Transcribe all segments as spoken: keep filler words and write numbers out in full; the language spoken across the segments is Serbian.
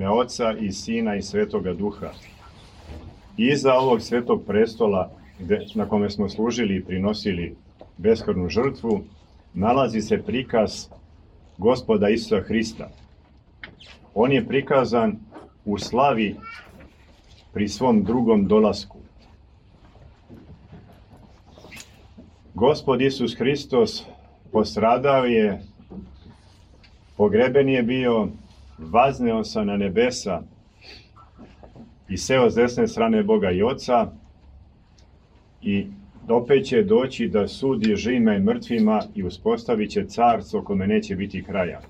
ime Oca i Sina i Svetoga Duha. Iza ovog svetog prestola, gde, na kome smo služili i prinosili beskrvnu žrtvu, nalazi se prikaz Gospoda Isusa Hrista. On je prikazan u slavi pri svom drugom dolasku. Gospod Isus Hristos postradao je, pogreben je bio, vazneo se na nebesa i seo s desne strane Boga i Oca i opet će doći da sudi živima i mrtvima i uspostavit će carstvo kome neće biti kraja.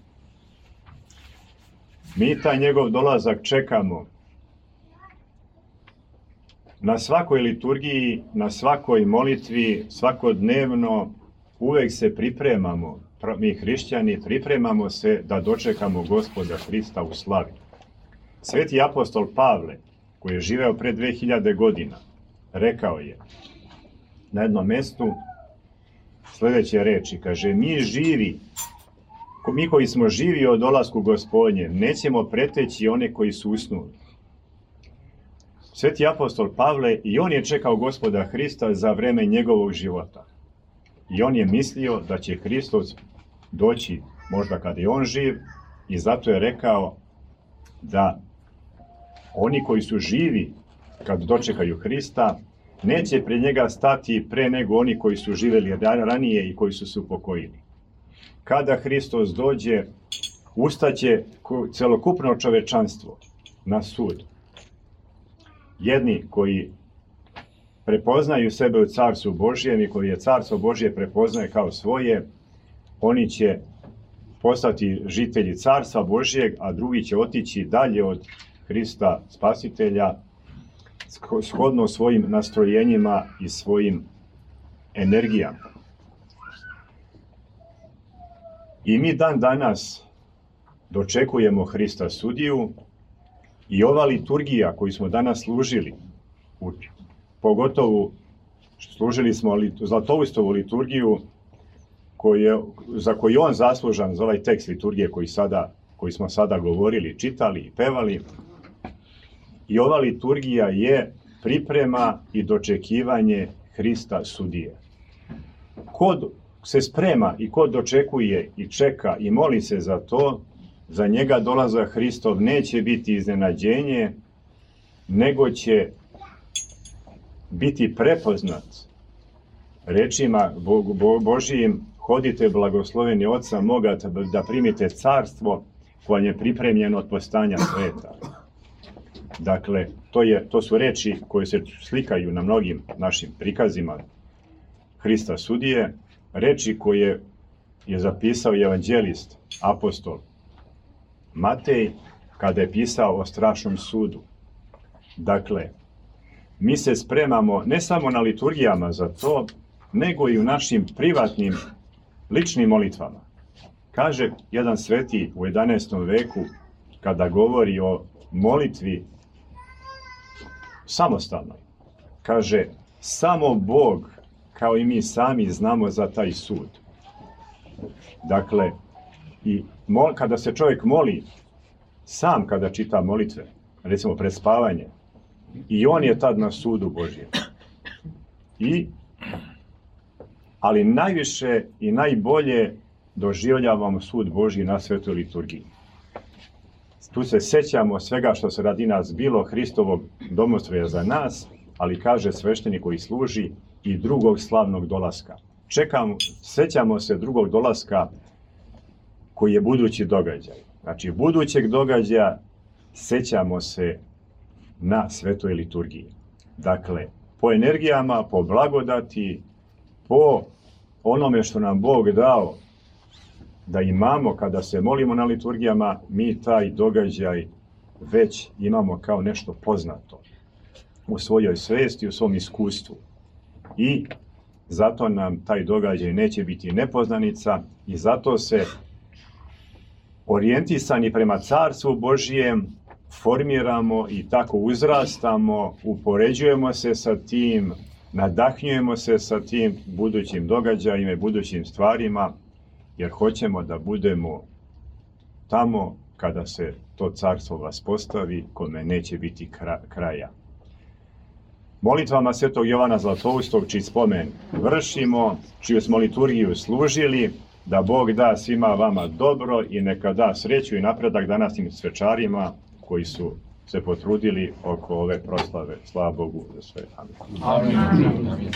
Mi taj njegov dolazak čekamo. Na svakoj liturgiji, na svakoj molitvi, svakodnevno uvek se pripremamo, mi hrišćani pripremamo se da dočekamo Gospoda Hrista u slavi. Sveti apostol Pavle, koji je živeo pre dve hiljade godina, rekao je na jednom mestu sljedeće reči, kaže, mi živi, mi koji smo živi o dolasku Gospodnje, nećemo preteći one koji su usnuli. Sveti apostol Pavle, i on je čekao Gospoda Hrista za vreme njegovog života. I on je mislio da će Hristos doći možda kada je on živ, i zato je rekao da oni koji su živi kad dočekaju Hrista, neće pred njega stati pre nego oni koji su živeli ranije i koji su se upokojili. Kada Hristos dođe, ustaće celokupno čovečanstvo na sud. Jedni koji prepoznaju sebe u Carstvu Božjem i koji je Carstvo Božje prepoznaje kao svoje, oni će postati žitelji Carstva Božjeg, a drugi će otići dalje od Hrista Spasitelja, shodno svojim nastrojenjima i svojim energijama. I mi dan danas dočekujemo Hrista sudiju i ova liturgija koju smo danas služili, pogotovo služili smo Zlatoustovu liturgiju koju, za koju on zaslužan, za ovaj tekst liturgije koji, sada, koji smo sada govorili, čitali i pevali. I ova liturgija je priprema i dočekivanje Hrista sudije. Ko se sprema i ko dočekuje i čeka i moli se za to, za njega dolazak Hristov neće biti iznenađenje, nego će biti prepoznat rečima Božijim: hodite blagosloveni Oca moga da primite carstvo koje je pripremljeno od postanja sveta. Dakle, to, je, to su reči koje se slikaju na mnogim našim prikazima Hrista sudije, reči koje je zapisao evanđelist, apostol Matej, kada je pisao o strašnom sudu. Dakle, mi se spremamo ne samo na liturgijama za to, nego i u našim privatnim, ličnim molitvama. Kaže jedan sveti u jedanaestom veku, kada govori o molitvi samostalnoj, kaže, samo Bog, kao i mi sami, znamo za taj sud. Dakle, i mol, kada se čovjek moli, sam kada čita molitve, recimo pred spavanje, i on je tad na sudu Božjem. I, ali najviše i najbolje doživljavamo sud Božji na svetoj liturgiji. Tu se sećamo svega što se radi nas bilo, Hristovog domostroja za nas, ali kaže sveštenik koji služi i drugog slavnog dolaska. Čekamo, sećamo se drugog dolaska koji je budući događaj. Znači, budućeg događaja sećamo se na svetoj liturgiji. Dakle, po energijama, po blagodati, po onome što nam Bog dao da imamo kada se molimo na liturgijama, mi taj događaj već imamo kao nešto poznato u svojoj svesti, u svom iskustvu. I zato nam taj događaj neće biti nepoznanica i zato se orijentisani prema Carstvu Božijem formiramo i tako uzrastamo, upoređujemo se sa tim, nadahnjujemo se sa tim budućim događajima i budućim stvarima, jer hoćemo da budemo tamo kada se to carstvo vas postavi, kome neće biti kraja. Molitvama Svetog Jovana Zlatoustog, čiji spomen vršimo, čiju smo liturgiju služili, da Bog da svima vama dobro i neka da sreću i napredak današnjim svečarima koji su se potrudili oko ove proslave. Slava Bogu za sve. Amin. Amin.